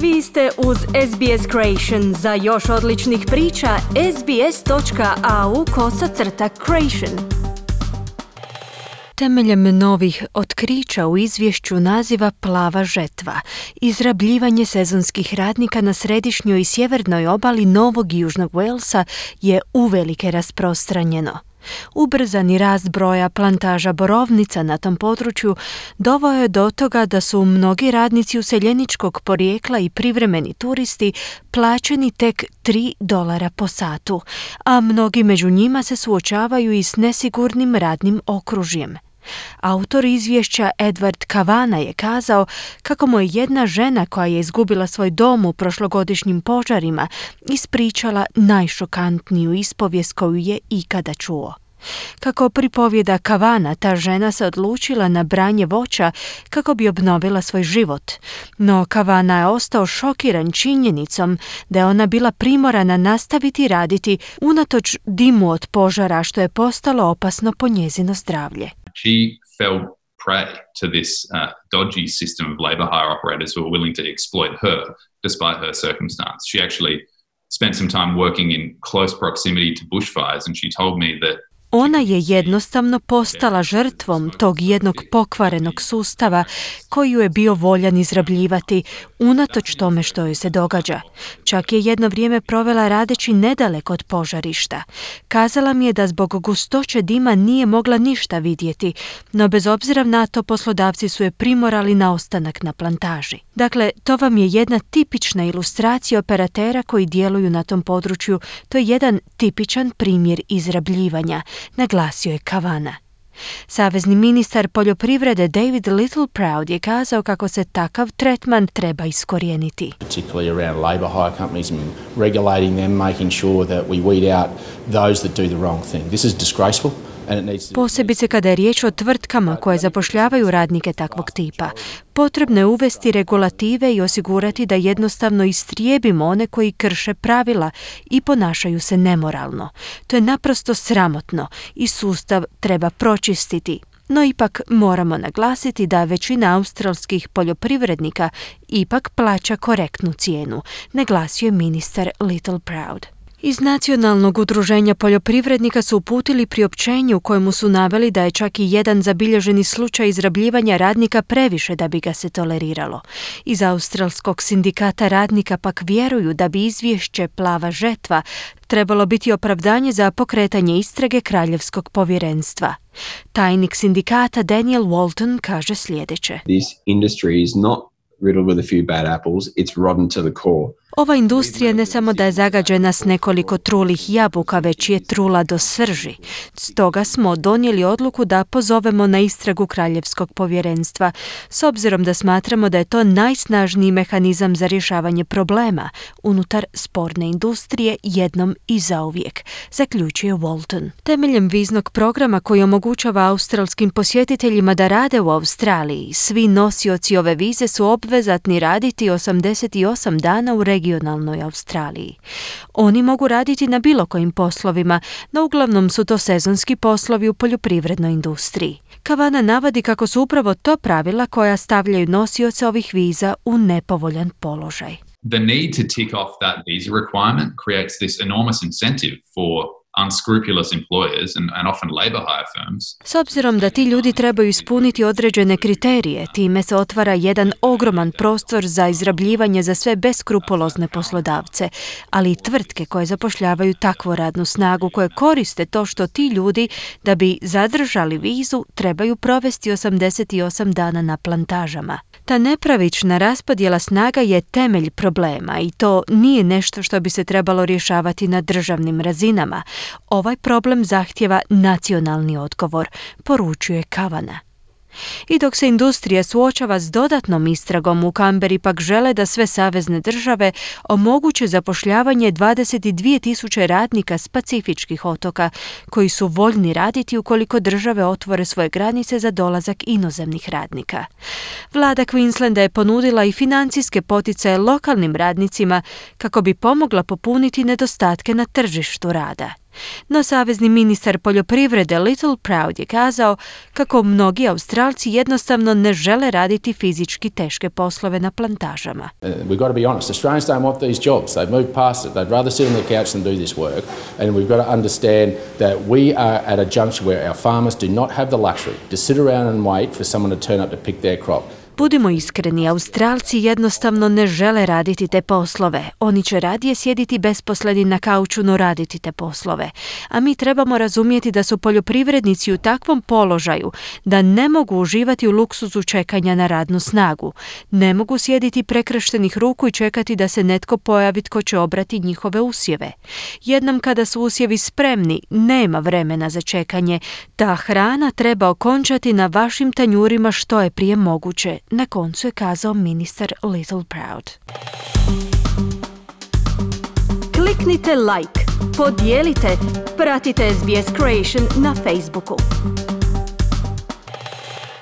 Vi ste uz SBS Creation. Za još odličnih priča, sbs.au/creation. Temeljem novih otkrića u izvješću naziva Plava žetva, izrabljivanje sezonskih radnika na središnjoj i sjevernoj obali Novog i Južnog Walesa je uvelike rasprostranjeno. Ubrzani rast broja plantaža borovnica na tom području doveo je do toga da su mnogi radnici useljeničkog porijekla i privremeni turisti plaćeni tek $3 po satu, a mnogi među njima se suočavaju i s nesigurnim radnim okružjem. Autor izvješća Edward Kavana je kazao kako mu je jedna žena koja je izgubila svoj dom u prošlogodišnjim požarima ispričala najšokantniju ispovijest koju je ikada čuo. Kako pripovjeda Kavana, ta žena se odlučila na branje voća kako bi obnovila svoj život. No Kavana je ostao šokiran činjenicom da je ona bila primorana nastaviti raditi unatoč dimu od požara, što je postalo opasno po njezino zdravlje. She fell prey to this dodgy system of labour hire operators who were willing to exploit her despite her circumstance. She actually spent some time working in close proximity to bushfires, and she told me that ona je jednostavno postala žrtvom tog jednog pokvarenog sustava koji ju je bio voljan izrabljivati, unatoč tome što joj se događa. Čak je jedno vrijeme provela radeći nedaleko od požarišta. Kazala mi je da zbog gustoće dima nije mogla ništa vidjeti, no bez obzira na to poslodavci su je primorali na ostanak na plantaži. Dakle, to vam je jedna tipična ilustracija operatera koji djeluju na tom području. To je jedan tipičan primjer izrabljivanja, naglasio je Kavana. Savezni ministar poljoprivrede David Littleproud je kazao kako se takav tretman treba iskorijeniti. Particularly around labour hire companies and regulating them, making sure that we weed out those that do the wrong thing. This is disgraceful. Posebice kada je riječ o tvrtkama koje zapošljavaju radnike takvog tipa. Potrebno je uvesti regulative i osigurati da jednostavno istrijebimo one koji krše pravila i ponašaju se nemoralno. To je naprosto sramotno i sustav treba pročistiti. No ipak moramo naglasiti da većina australskih poljoprivrednika ipak plaća korektnu cijenu, naglasio je ministar Littleproud. Iz Nacionalnog udruženja poljoprivrednika su uputili priopćenje u kojemu su naveli da je čak i jedan zabilježeni slučaj izrabljivanja radnika previše da bi ga se toleriralo. Iz Australskog sindikata radnika pak vjeruju da bi izvješće Plava žetva trebalo biti opravdanje za pokretanje istrage Kraljevskog povjerenstva. Tajnik sindikata Daniel Walton kaže sljedeće. This industry is not riddled with a few bad apples, it's rotten to the core. Ova industrija ne samo da je zagađena s nekoliko trulih jabuka, već je trula do srži. Stoga smo donijeli odluku da pozovemo na istragu Kraljevskog povjerenstva, s obzirom da smatramo da je to najsnažniji mehanizam za rješavanje problema unutar sporne industrije jednom i zauvijek, zaključuje Walton. Temeljem viznog programa koji omogućava australskim posjetiteljima da rade u Australiji, svi nosioci ove vize su obvezatni raditi 88 dana u regionalnoj Australiji. Oni mogu raditi na bilo kojim poslovima, no uglavnom su to sezonski poslovi u poljoprivrednoj industriji. Kavana navodi kako su upravo to pravila koja stavljaju nosioce ovih viza u nepovoljan položaj. The need to tick off that visa requirement creates this enormous incentive for unscrupulous employers and often labor hire firms. S obzirom da ti ljudi trebaju ispuniti određene kriterije, time se otvara jedan ogroman prostor za izrabljivanje za sve beskrupulozne poslodavce, ali i tvrtke koje zapošljavaju takvu radnu snagu koje koriste to što ti ljudi, da bi zadržali vizu, trebaju provesti 88 dana na plantažama. Ta nepravična raspodjela snaga je temelj problema i to nije nešto što bi se trebalo rješavati na državnim razinama. Ovaj problem zahtijeva nacionalni odgovor, poručuje Kavana. I dok se industrija suočava s dodatnom istragom, u Kamberi pak žele da sve savezne države omoguće zapošljavanje 22.000 radnika s pacifičkih otoka koji su voljni raditi ukoliko države otvore svoje granice za dolazak inozemnih radnika. Vlada Queenslanda je ponudila i financijske poticaje lokalnim radnicima kako bi pomogla popuniti nedostatke na tržištu rada. No savezni ministar poljoprivrede Little Proud je kazao kako mnogi Australci jednostavno ne žele raditi fizički teške poslove na plantažama. We've got to be honest, Australians don't want these jobs. They've moved past it. They'd rather sit on their couch than do this work. And we've got to understand that we are at a juncture where our farmers do not have the luxury to sit around and wait for someone to turn up to pick their crop. Budimo iskreni, Australci jednostavno ne žele raditi te poslove. Oni će radije sjediti besposleni na kauču, no raditi te poslove. A mi trebamo razumjeti da su poljoprivrednici u takvom položaju da ne mogu uživati u luksuzu čekanja na radnu snagu. Ne mogu sjediti prekrštenih ruku i čekati da se netko pojavi tko će obrati njihove usjeve. Jednom kada su usjevi spremni, nema vremena za čekanje. Ta hrana treba okončati na vašim tanjurima što je prije moguće. Na koncu je kazao ministar Little Proud. Kliknite like, podijelite, pratite SBS Creation na Facebooku.